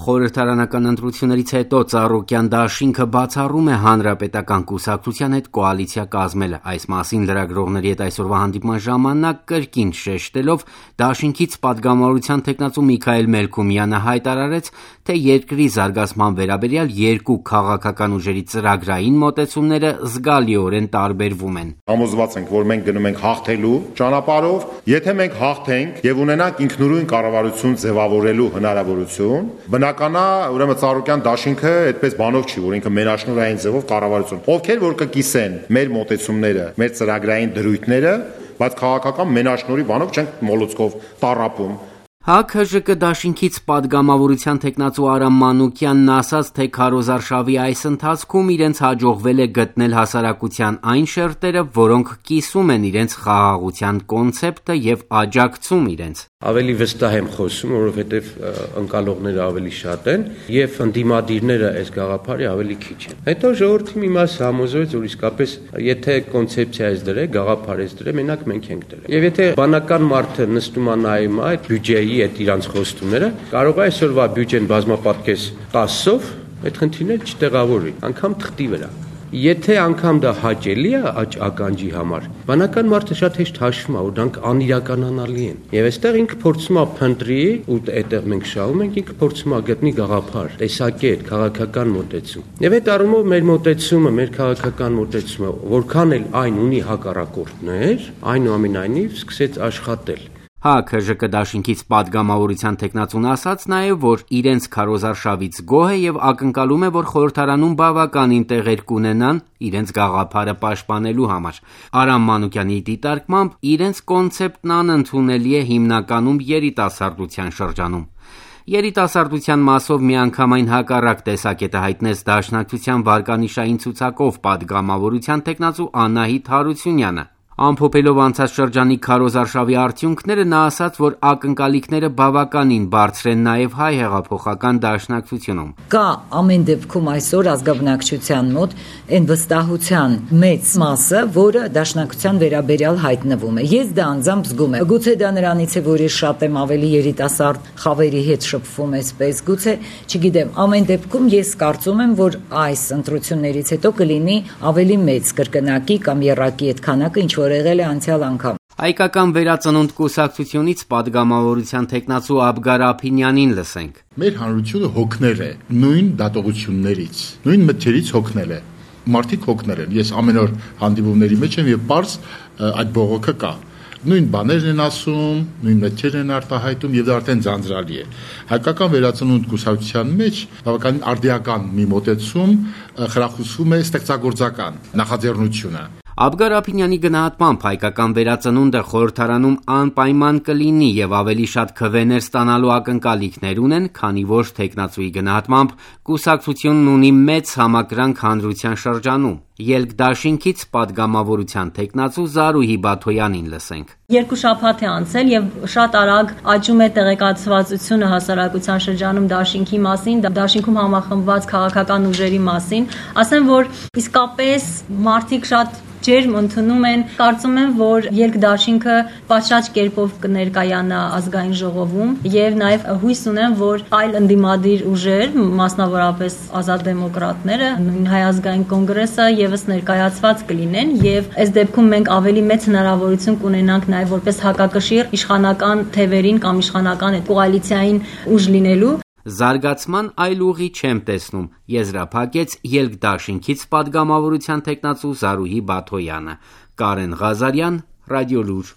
Խորհրդարանական ընտրություններից հետո Ծառուկյան դաշինքը բացառում է հանրապետական կուսակցության հետ կոալիցիա կազմելը։ Այս մասին լրագրողների հետ այսօրվա հանդիպման ժամանակ կրկին շեշտելով դաշինքից պատգամավորության թեկնածու Միքայել Մելքումյանը հայտարարեց, թե երկրի զարգացման վերաբերյալ երկու քաղաքական ուժերի ծրագրային մոտեցումները զգալիորեն տարբերվում են։ Համոզված ենք, որ մենք գնում ենք հաղթելու ճանապարհով, եթե մենք հաղթենք եւ ունենանք ինքնուրույն կառավարություն ձևավորելու հնարավորություն, բնական է, ուրեմն Ծառուկյան դաշինքը այդպես բանով չի, որ ինքը մենաշնորհային ձևով կառավարություն։ Ովքեր որ կկիսեն մեր մոտեցումները, մեր ծրագրային դրույթները, բայց քաղաքական մենաշնորհի բանով չենք մոլուցկով տառապում։ ՀԱԿ-ՀԺԿ դաշինքից պատգամավորության թեկնածու Արամ Մանուկյանն ասաց, թե քարոզարշավի այս ընթացքում իրենց հաջողվել է գտնել հասարակության այն շերտերը, որոնք կիսում են իրենց խաղաղության կոնցեպտը եւ աջակցում իրենց։ Ավելի վստահ եմ խոսում, որովհետև ընկալողները ավելի շատ են եւ ընդդիմադիրները այս գաղափարի ավելի քիչ են։ Հետո ժողովրդի մի մասը համոզվեց, որ իսկապես եթե կոնցեպցիա ես դրե, գաղափար ես դրե, մենակ մենք ենք դրել։ Եվ եթե բանական մարդը նստում է նայում այդ բյուջեի այդ իրանց խոստումները, կարող է այսօրվա բյուջեն բազմապատկես 10-ով այդ խնդիրները չտեղավորի, անգամ թղթի վրա։ Եթե անգամ դա հաճելի է ականջի համար, բանական մարդը շատ հեշտ հաշվում է, որ դրանք անիրականանալի են։ Եվ այստեղ ինքը փորձում է փնտրի, ու այդտեղ մենք շահում ենք, ինքը փորձում է գտնի գաղափար, տեսակետ, քաղաքական մոտեցում։ Եվ այդ առումով մեր մոտեցումը, մեր քաղաքական մոտեցումը, որքան էլ այն ունի հակառակորդներ, այնուամենայնիվ սկսեց աշխատել։ ՀԱԿ-ՀԺԿ դաշինքից պատգամավորության թեկնածուն ասաց նաև, որ իրենց քարոզարշավից գոհ է եւ ակնկալում է, որ խորհրդարանում բավականին տեղեր կունենան իրենց գաղափարը պաշտպանելու համար։ Արամ Մանուկյանի դիտարկմամբ իրենց կոնցեպտն անընդունելի է հիմնականում երիտասարդության շրջանում։ Երիտասարդության մասով միանգամայն հակառակ տեսակետը հայտնեց Դաշնակցության վարկանիշային ցուցակով պատգամավորության թեկնածու Անահիտ Հարությունյանը։ Ամփոփելով անցած շրջանի քարոզարշավի արդյունքները, նա ասաց, որ ակնկալիքները բավականին բարձր են նաև հայ հեղափոխական դաշնակցությունում։ Կա ամեն դեպքում այսօր ազգաբնակչության մոտ այն վստահության մեծ մասը, որը դաշնակցության վերաբերյալ հայտնվում է։ Ես դա անձամբ զգում եմ։ Գուցե դա նրանից է, որ ես շատ եմ ավելի երիտասարդ խավերի հետ շփվում այսպես, գուցե, չգիտեմ, ամեն դեպքում ես կարծում եմ, որ այս ընտրություններից հետո կլինի ավելի մեծ կրկնակի կամ եռակի այդ քանակը, ինչ որ եղել է անցյալ անգամ։ Հայկական վերածնունդ կուսակցությունից պատգամավորության թեկնածու Աբգար Ափինյանին լսենք։ Մեր հանրությունը հոգնել է նույն դատողություններից, նույն մտքերից հոգնել է։ Մարդիկ հոգնել են։ Ես ամեն օր հանդիպումների մեջ եմ եւ պարզ այդ բողոքը կա։ Նույն բաներն են ասում, նույն մտքերն են արտահայտում եւ դա արդեն ձանձրալի է։ Հայկական վերածնունդ կուսակցության մեջ բավականին արդիական մի մոտեցում խրախուսվում է ստեղծագործական նախաձեռնությունը։ Աբգար Ափինյանի գնահատմամբ հայկական վերածնունդը խորհրդարանում անպայման կլինի եւ ավելի շատ քվեներ ստանալու ակնկալիքներ ունեն, քանի որ թեկնածուի գնահատմամբ կուսակցությունն ունի մեծ համակրանք հանրության շրջանում։ Ելք դաշինքից պատգամավորության թեկնածու Զարուհի Բաթոյանին լսենք։ 2 շաբաթ է անցել եւ շատ արագ աճում է տեղեկացվածությունը հասարակության շրջանում դաշինքի մասին, դաշինքում համախմբված քաղաքական ուժերի մասին։ Ասեմ, որ իսկապես մարդիկ շատ ջերմ ընդունում են, կարծում եմ, որ ելք դաշինքը պատշաճ կերպով կներկայանա ազգային ժողովում եւ նաեւ հույս ունեմ, որ այլ ընդդիմադիր ուժեր, մասնավորապես ազատ դեմոկրատները, նույն Հայ ազգային կոնգրեսը եւս ներկայացված կլինեն եւ այս դեպքում մենք ավելի մեծ հնարավորություն կունենանք նաեւ որպես հակակշիռ իշխանական թևերին կամ իշխանական կոալիցիային ուժ լինելու։ Զարգացման այլ ուղի չեմ տեսնում, եզրափակեց ելք դաշինքից պատգամավորության թեկնածու Զարուհի Բաթոյանը։ Կարեն Ղազարյան, Ռադիոլուր։